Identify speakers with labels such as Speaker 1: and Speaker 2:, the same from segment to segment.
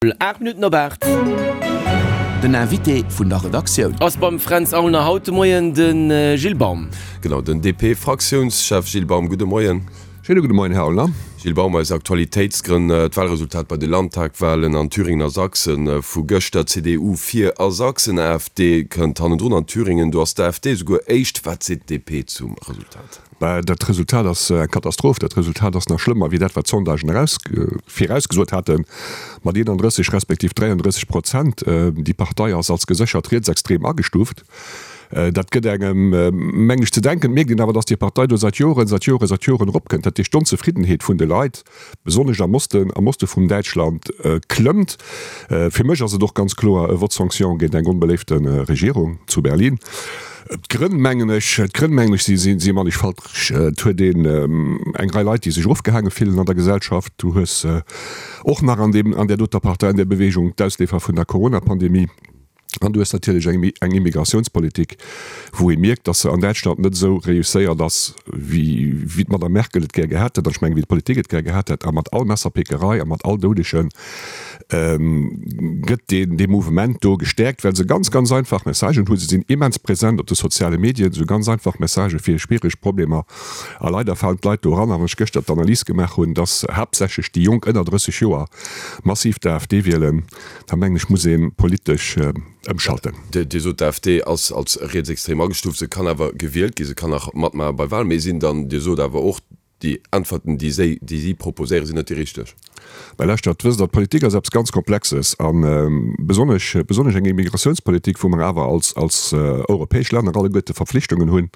Speaker 1: 8 Minutten op 8.
Speaker 2: Den Invité vun der Redaktioun.
Speaker 1: Ass beim Fränz Aulner haut de Moien de Gilles Baum.
Speaker 3: Genau, den DP-Fraktiounschef Gilles Baum. Gudde Moien.
Speaker 4: Schéine gudde Moien, Här Aulner.
Speaker 3: Gilles Baum, aus Aktualitéitsgrënn, d'Wahlresultat bei de Landtagwahlen an Thüringen a Sachsen vu gëschter, CDU vir a Sachsen, AfD kënnt hannendrun an Thüringen, do ass d'AfD esouguer éischt. Wat seet d'DP zum Resultat?
Speaker 4: Bah, dat Resultat ass eng Katastroph. Dat Resultat ass nach schlëmmer wéi dat, wat d'Sondagen eraus, virausgesot haten, mat 31 respektiv 33 Prozent. Déi Partei ass als geséchert rietsextrem agestuuft. Dat gëtt engem, meng ech, ze denken. Et mierkt een awer, datt déi Partei do säit Joren, säit Joren, säit Joren eropkënnt. Dat heescht, d'Onzefriddenheet vun de Leit, besonnesch am Osten, am Oste vum Däitschland, klëmmt. Fir mech ass et och ganz kloer e Vote sanction géint eng onbeléifte Regierung zu Berlin. D'Grënn, mengen ech, d'Grënn, mengen ech, si, si mannigfalteg. Et huet een eng Rei Leit, déi sech erofgehaange fillen an der Gesellschaft. Du hues och nach an deem, an där doter Partei, an där Bewegung d'Ausleefer vun der Corona-Pandemie. An du hues natierlech eng, eng Immigratiounspolitik, wou ee mierkt, datt se an Däitschland net esou reusséiert ass, wéi, wéi d'Madame Merkel et gär gehat hätt, an ech mengen, wéi d'Politik et gär gehat hätt. A mat all Messerpickerei a mat all Doudegen, gëtt deen dee Mouvement do gestäerkt, well se ganz, ganz einfach Messagen hunn. Se sinn immens present op de soziale Medien, esou ganz einfach Messagë fir schwiereg Problemer. A leider falen d'Leit do eran. A wann ech gëschter d'Analys gemaach hunn, dass haaptsächlech déi Jonk ënner 30 Joer massiv d'AfD wielen, da mengen ech, muss ee politesch ëmschalten.
Speaker 3: Dir sot, d'AfD ass als rietsextrem agestuuft. Se kann awer gewielt ginn, se kann nach matmaache bei Wahlen. Mee sinn dann, Dir sot awer och, Déi Äntwerten, déi si, déi si proposéieren, sinn net déi richteg.
Speaker 4: Mä lauschtert, wësst Der, d'Politik ass eppes ganz Komplexes a besonnesch, besonnesch eng Immigratiounspolitik, wou mer awer als, als europäesch Länner alleguerte Verpflichtungen hunn,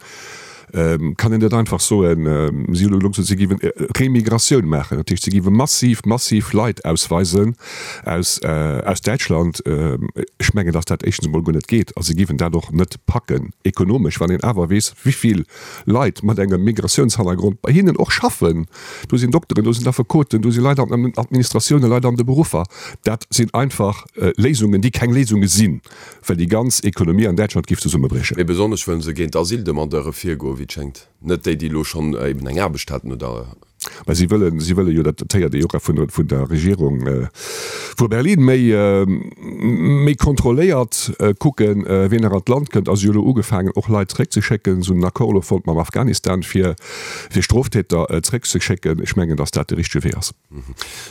Speaker 4: kann een net einfach soen, si hunn elo gesot, si géiwen Remigratioun maachen, dat heescht, si géiwe massiv, massiv Leit ausweisen aus, aus Däitschland. Ech mengen, datt dat éischtens emol guer net geet a si géiwen dat och net packen ekonomesch, wann een awer weess, wivill Leit mat engem Migratiounshannergrond bei hinnen och schaffen. Do sinn Dokteren, do sinn Affekoten, do si Leit an den Administratiounen, Leit an de Beruffer. Dat sinn einfach Léisungen, déi keng Léisunge sinn, well déi ganz Ekonomie an Däitschland géif zesummebriechen.
Speaker 3: Mee besonnesch wëllen se géint Asyldemandeure virgoen, wéi et schéngt. Net déi, déi elo schonn eben eng Aarbecht haten oder.
Speaker 4: Mä si wëllen, si wëlle jo, dat héiert ee jo och vun der, vun der Regierung vu Berlin, méi, méi kontrolléiert kucken, wien nach an d'Land kënnt. A si hu elo ugefaangen, och Leit zréckzeschécken. Si hunn en Accord elo fonnt mam Afghanistan, fir, fir Stroftäter zréckzeschécken. Ech mengen, datt dat de richtege Wee ass.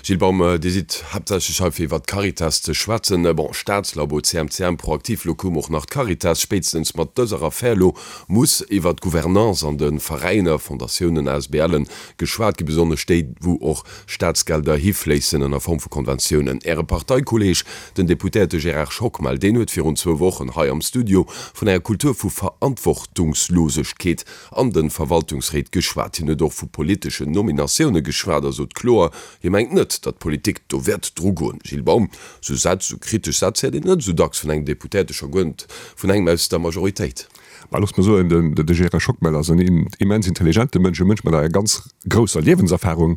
Speaker 3: Gilles Baum, Dir sidd haaptsächlech hei fir iwwert d'Caritas ze schwätzen. Bon, Staatslabo, CMCM, Proactif, elo koum och nach d'Caritas. Spéitstens mat dëser Affär elo muss iwwert d'Gouvernance an de Veräiner, Fondatiounen, ASBLen geschwat ginn, besonnesch déi, wou och Staatsgelder hifléissen ënner Form vu Konventiounen. Äre Parteikolleeg, den Deputéierte Gérard Schockmel, deen huet virun zwou Wochen hei am Studio vun enger Kultur vu Verantwortungslosegkeet an de Verwaltungsréit geschwat. Hien huet och vu politeschen Nominatioune geschwat a sot kloer, hie mengt net, datt d'Politik do wäert drugoen. Gilles Baum, Sou Sätz, sou kritesch Sätz héiert een net esou dacks vun engem Deputéierte, scho guer net vun engem aus der Majoritéit.
Speaker 4: Mä loosst mer soen, de Gérard Schockmel ass en immens intelligente Mënsch, e Mënsch mat enger ganz grousser Liewenserfahrung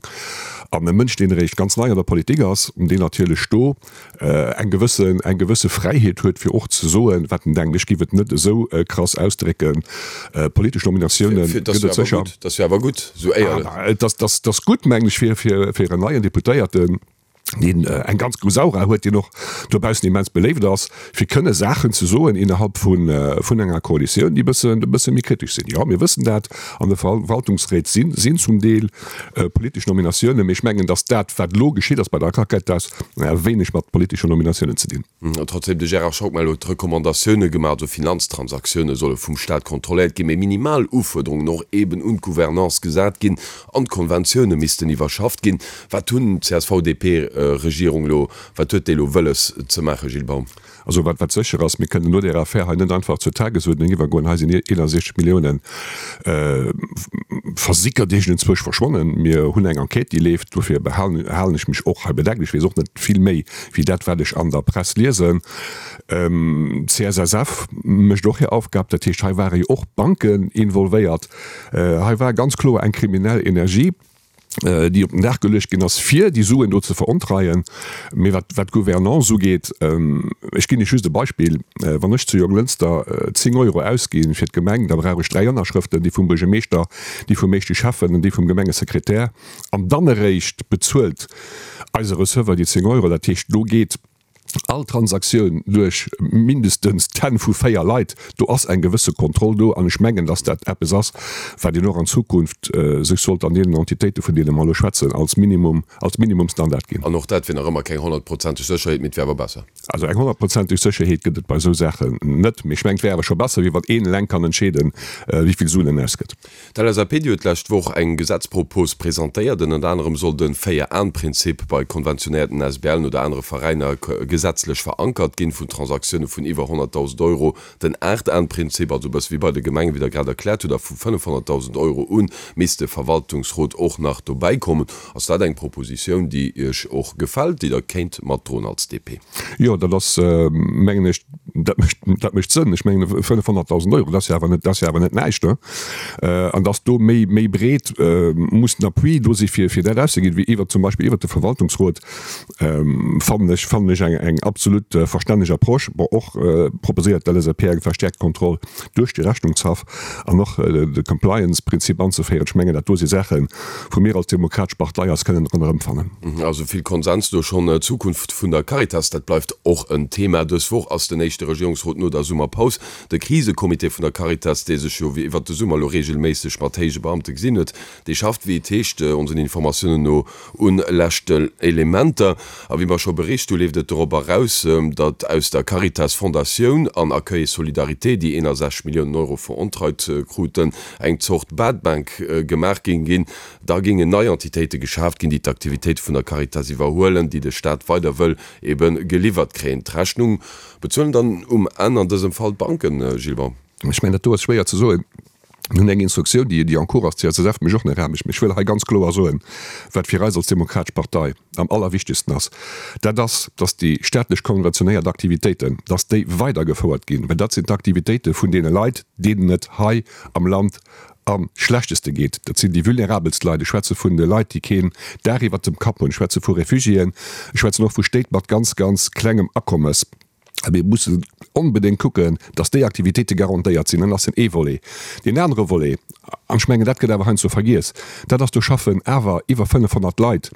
Speaker 4: an e Mënsch, deen eréischt ganz nei an der Politik ass, deen natierlech do eng gewëssen, eng gewësse Fräiheet huet, fir och ze soen, wat en denkt. Ech géif et net esou krass ausdrécken. Politesch Nominatioune gëtt et sécher.
Speaker 3: Dat ass jo awer gutt, esou éierlech.
Speaker 4: Et ass gutt, mengen ech, fir en neien Deputéierten, deen eng ganz grouss Aura huet, deen och dobaussen immens beléift ass, fir kënne Saachen ze soen innerhalb vun enger Koalitioun, déi e bëssen, e bësse méi kritesch sinn. Jo, mir wëssen dat, an de Verwaltungsréit sinn, sinn zum Deel politesch Nominatiounen, mee ech mengen, datt dat, wat elo geschitt ass bei der Caritas, wéineg mat politeschen Nominatiounen ze dinn.
Speaker 3: Trotzdem, de Gérard Schockmel huet Recommandatioune gemaach, also Finanztransaktioune solle vum Staat kontrolléiert ginn, mee minimal Ufuerderungen och eeben un d'Gouvernance gesat ginn an d'Konventioune missten iwwerschafft ginn. Wat hunn d'CSV-DP-Regierung elo, wat huet déi elo wëlles ze maachen, Gilles Baum?
Speaker 4: Also wat wat sécher ass, mir kënnen no där Affär hei net einfach zur Tagesuerdnung iwwergoen. Hei sinn 61 Milliounen versickert, iergendenzwousch verschwonnen. Mir hunn eng Enquête, déi leeft. Dofir behalen halen ech mech och hei bedeckt. Ech weess och net vill méi wéi dat, wat ech an der Press liesen. D'CSSF mécht och hir Aufgab. Dat heescht, hei ware jo och Banken involvéiert. Hei war ganz kloer eng kriminell Energie. Déi op den Dag geluecht ginn ass, fir déi Suen do ze verontreien. Mee wat d'Gouvernance ugeet, ech ginn Iech just e Beispill, Wann ech zu Jonglënster 10 Euro ausgi fir d'Gemeng, da brauch ech 3 Ënnerschrëften, déi vum Buergermeeschter, déi vum éischte Schäffen an déi vum Gemengesekretär. An dann eréischt bezuelt eise Receveur déi 10 Euro. Dat heescht, do geet all Transaktioun duerch mindestens d'Hänn vu 4 Leit, do ass eng gewësse Kontroll do an ech mengen, dass dat eppes ass, wat een och an Zukunft sech sollt an deenen Entitéite vun deene mer elo schwätzen, als Minimum, als Minimumstandard ginn.
Speaker 3: An och dat wier nach ëmmer keng honnertprozenteg Sécherheet, mee et wier awer besser.
Speaker 4: Also eng honnertprozenteg Sécherheet gëtt et bei esou Saachen net, mee ech mengen, et wär awer scho besser, wéi wann een eleng kann entscheeden, wéi vill Suen en ausgëtt.
Speaker 3: D'LSAP déi huet d'lescht Woch eng Gesetzpropos presentéiert. Ënnert anerem soll de Véier-Aen-Prinzip bei konventionéierten ASBLen oder anere Veräiner gesetzlech verankert ginn. Vun Transaktioune vun iwwer 100.000 Euro den Aacht-Aen-Prinzip, also e bësse wéi bei de Gemengen, wéi Der grad erkläert hutt. A vu 500.000 Euro u misst de Verwaltungsrot och nach dobäi kommen. Ass dat eng Propositioun, déi Iech och gefält, déi Der kéint matdroen als DP?
Speaker 4: Jo, dat ass, mengen ech, dat mécht, dat mécht Sënn. Ech mengen, 500.000 Euro, dat ass jo awer net, dat ass jo awer net näischt, ne? An dass do méi, méi breet muss den Appui do si fir, fir dat auszeginn, wéi iwwer zum Beispill iwwert de Verwaltungsrot, fannen ech, fannen ech eng, eng absolut verstänneg Approche. Bon, och proposéiert d'LSAP eng verstärkt Kontroll duerch de Rechnungshaff an och de Compliance-Prinzip anzeféieren. Ech mengen, dat do si Saachen, wou mir als Demokratesch Partei eis kënnen dran erëmfannen.
Speaker 3: Also vill Konsens do schonn. D'Zukunft vun der Caritas, dat bleift och en Thema. Dës Woch ass den éischte Regierungsrot no der Summerpaus. De Krisecomité vun der Caritas, dee sech jo iwwert de Summer elo reegelméisseg mat héije Beamte gesinn huet, dee schafft, wéi et heescht, onsen Informatiounen no, un leschten Elementer. A wéi mer scho bericht hu, leeft et dorop eraus, datt aus der Caritas Fondatioun an Accueil et Solidarité, déi 61 Milliounen Euro verontreit kruten, eng Zort Bad Bank gemaach géing ginn. Da géingen nei Entitéite geschaaft ginn, déi d'Aktivitéite vun der Caritas iwwerhuelen, déi de Staat weider wëll ebe geliwwert kréien. D'Rechnung bezuelen dann um Enn an dësem Fall d'Banken, Gilles Baum.
Speaker 4: Ech mengen, dat do ass schwéier ze soen. Mir hunn eng Instruktioun, déi en cours ass, d'CSSF mécht och nach Aarbecht. Mee ech wëll hei ganz kloer soen, wat fir eis als Demokratesch Partei am allerwichtegsten ass, dat ass, dass déi staatlech konventionéiert Aktivitéiten, dass déi weidergefouert ginn, well dat sinn d'Aktivitéite vun deene Leit, deenen et hei am Land am schlechteste geet. Dat sinn déi vulnerabelst Leit. Ech schwätze vun de Leit, déi keen Daach iwwert dem Kapp hunn. Ech schwätze vu Refugiéen. Ech schwätzen och vu Stéit mat ganz, ganz klengem Akommes. A mir mussen onbedéngt kucken, dass déi Aktivitéite garantéiert sinn. Dat ass den ee Volet. Deen anere Volet, an ech mengen, dat gëtt awer heiansdo vergiess, dat ass, do schaffen awer iwwer 500 Leit,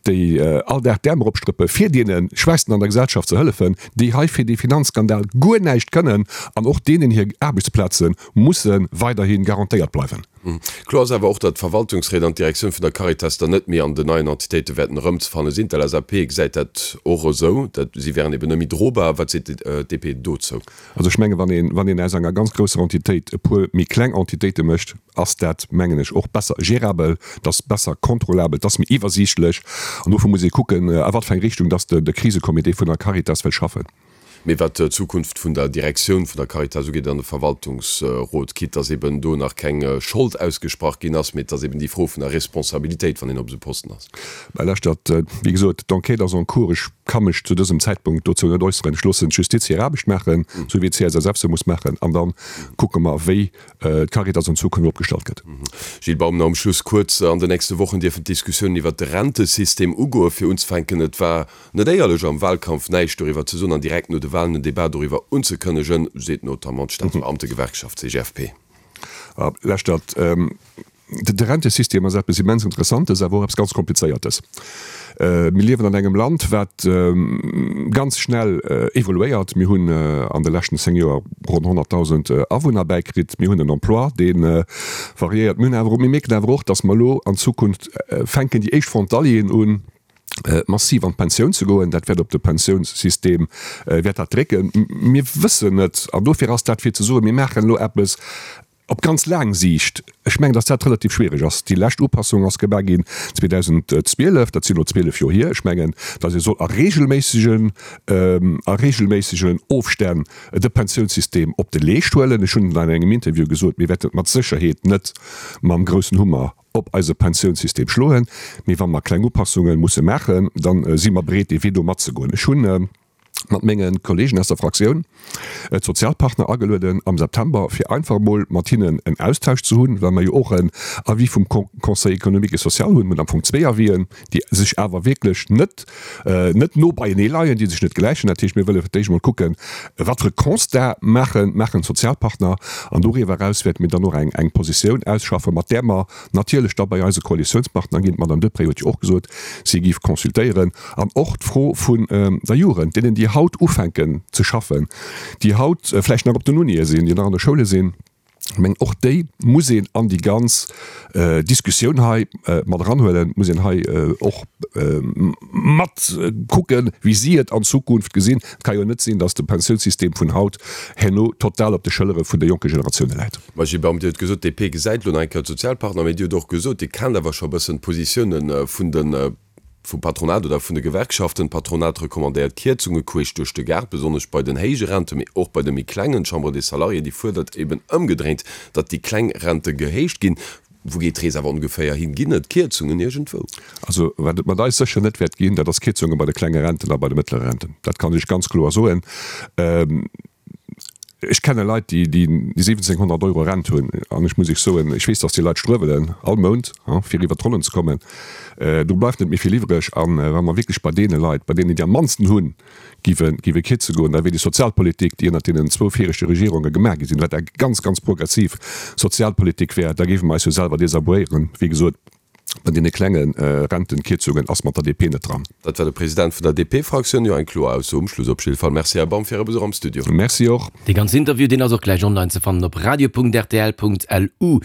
Speaker 4: déi all Dag d'Äerm eropstrëppe fir deene Schwächsten an der Gesellschaft ze hëllefen, déi hei fir dee Finanzskandal guer näischt kënnen an och deenen hir Aarbechtsplaze musse weiderhi garantéiert bleiwen.
Speaker 3: Kloer ass awer och, datt d'Verwaltungsréit an d'Direktioun vun der Caritas dann net méi an den neien Entitéite wäerten erëmzefanne sinn. D'LSAP gesäit dat och esou, dat si wären eben net méi drobar. Wat seet d'DP dozou?
Speaker 4: Also ech menge wann een, wann een aus enger ganz grousser Entitéit e puer méi kleng Entitéite mécht, ass dat, mengen ech, och besser gérabel, et ass besser kontrollabel, et ass méi iwwersiichtlech. An dofir muss ee kucken, a wat fir eng Richtung datt de Krisecomité vun der Caritas wëll schaffen.
Speaker 3: Mee wat d'Zukunft vun der Direktioun vun der Caritas ugeet an de Verwaltungsrot, quitte dass eben do nach keng Schold ausgesprach ginn ass, mee et ass eben déi Fro vun der Responsabilitéit, wann een op esou Posten ass.
Speaker 4: Mä lauschtert, wéi gesot, d'Enquête ass en cours. Ech ka mech zu dësem Zäitpunkt dozou net äusseren. Ech loossen d'Justiz hir Aarbecht maachen, esou wéi d'CSSF se muss maachen, an da kucke mer, wéi d'Caritas an Zukunft opgestallt gëtt.
Speaker 3: Gilles Baum, nach um Schluss kuerz, An den nächste Wochen dierfen d'Diskussiounen iwwert de Rentesystem ugoen. Fir unzefänken, et war Net éierlech am Wahlkampf näischt doriwwer ze soen an direkt no de Wahlen en Debat doriwwer unzekënnegen, seet notamment d'Staatsbeamtegewerkschaft CGFP.
Speaker 4: Lauschtert, de Rentesystem ass eppes immens Interessantes, awer och eppes ganz Komplizéiertes. Mir liewen an engem Land, wat ganz schnell evoluéiert. Mir hunn an de leschten 10 Joer ronn 100.000 Awunner bäikritt. Mir hunn en Emploi, dee variéiert. Mir hunn awer, mir mierken awer och, datt mer elo an Zukunft fänken déi éischt Frontalieren un, massiv an d'Pensioun ze goen. Dat wäert op de Pensiounssystem wäert dat drécken. Mir wëssen net, an dofir ass dat fir ze soen, mir maachen elo eppes op ganz laang Siicht, ech mengen, datt dat relativ schwierig ass. Déi lescht Upassung ass gemaach ginn 2012, dat sinn elo 12 Joer hier. Ech mengen, datt ee soll a regelméissegen, a regelméissegen Ofstänn de Pensiounssystem op de Leescht huelen. Ech hunn an engem Interview gesot, mir wäerten et mat Sécherheet net mam groussen Hummer op eise Pensiounssystem schloen, mee wa mer kleng Upassunge musse maachen, da si mer bereet, dee Wee do matzegoen. Ech hunn. Mat menge Kollegen aus der Fraktioun d'Sozialpartner agelueden am September, fir einfach emol mat hinnen en Austausch ze hunn, well mer jo och en Avis vum Conseil économique et social hunn. Mir hunn am Fong zwéi Avisen, déi sech awer wierklech net, net no beienee leien, déi sech net gläichen. Dat heescht, mir wëlle fir d'éischt emol kucken, wat fir e Constat maachen, maachen d'Sozialpartner. An doriwwer eraus wäerte mir dann och eng, eng Positioun ausschaffen, mat där mer natierlech da bei eise Koalitiounspartner ginn. D'Madame Deprez huet jo och gesot, si géif consultéieren. An och d'Fro vun der Jugend, deenen, déi haut ufänken ze schaffen, déi haut vläicht nach op den Unië sinn, déi nach an de Schoule sinn, ech mengen, och déi muss een an déi ganz Diskussioun hei mat eranhuelen, muss een hei och mat kucken, wéi si et an Zukunft gesinn. Et ka jo net sinn, datt de Pensiounssystem vun haut herno total op de Schëllere vun de jonke Generatioune läit.
Speaker 3: Mä Gilles Baum, Dir hutt gesot, d'DP gesäit elo nach eng Kéier d'Sozialpartner, mä Dir hutt och gesot, Dir kennt awer scho e bëssen d'Positioune vun de vum Patronat oder vun de Gewerkschaften. D'Patronat recommandéiert Kierzunge queesch duerch de Gaart, besonnesch bei den héije Renten, mee och bei de méi klengen. D'Chambre des Salariés, déi fuerdert eben ëmgedréint, datt déi kleng Rente gehéicht ginn. Wou geet d'Rees awer ongeféier hin? Ginn et Kierzungen iergendwou?
Speaker 4: Also wat et mat eis sécher net wäert ginn, dat ass Kierzunge bei de klenge Renten a bei de mëttlere Renten. Dat kann ech ganz kloer soen. Ech kenne Leit, déi 1.700 Euro Rent hunn, an ech muss Iech soen, ech weess, datt déi Leit struewelen all Mount, fir iwwert d'Ronnen ze kommen. Do bleift net méi vill iwwreg. A wa mer wierklech bei deene Leit, bei deenen, déi am mannsten hunn, géife kierze goen, da wier déi Sozialpolitik, déi ënnert deenen zwou viregte Regierunge gemaach gi sinn, wat eng ganz, ganz progressiv Sozialpolitik wär, da géife mer eis jo selwer desavouéieren. Wéi gesot, Bei deene klenge Rentenkierzungen ass mat der DP net dran.
Speaker 3: Dat war de President vun der DP-Fraktioun. Jo, eng kloer Ausso um Schluss op jidde Fall. Merci, Här Baum, fir Äre Besuch am Studio.
Speaker 4: Merci och.
Speaker 1: Dee ganzen Interview, deen ass och gläich online ze fannen op radio.rtl.lu.